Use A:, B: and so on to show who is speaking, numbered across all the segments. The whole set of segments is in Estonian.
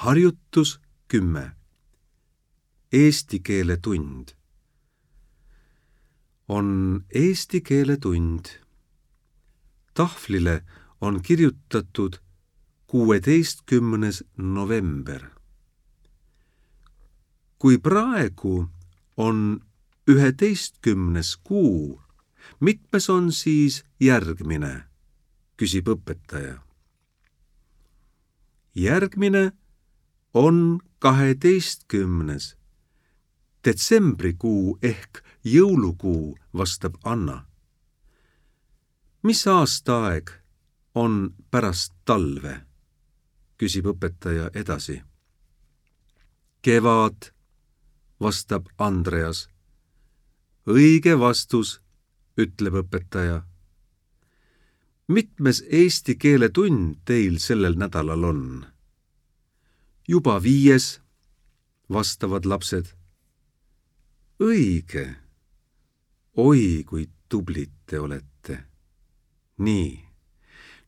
A: Harjutus 10. Eesti keele tund. On eesti keele tund. Tahvlile on kirjutatud 16. november. Kui praegu on 11. kuu, mitmes on siis järgmine, küsib õpetaja. Järgmine on 12. detsembrikuu ehk jõulukuu, vastab Anna. Mis aastaaeg on pärast talve, küsib õpetaja edasi. Kevad, vastab Andreas. Õige vastus, ütleb õpetaja. Mitmes eesti keele tund teil sellel nädalal on? Juba 5, vastavad lapsed. Õige. Oi, kui tublid te olete. Nii,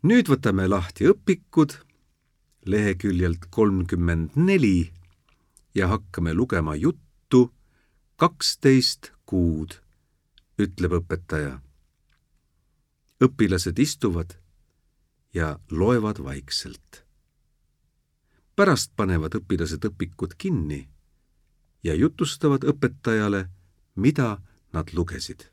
A: nüüd võtame lahti õpikud leheküljelt 34 ja hakkame lugema juttu 12 kuud, ütleb õpetaja. Õpilased istuvad ja loevad vaikselt. Pärast panevad õpilased õpikud kinni ja jutustavad õpetajale, mida nad lugesid.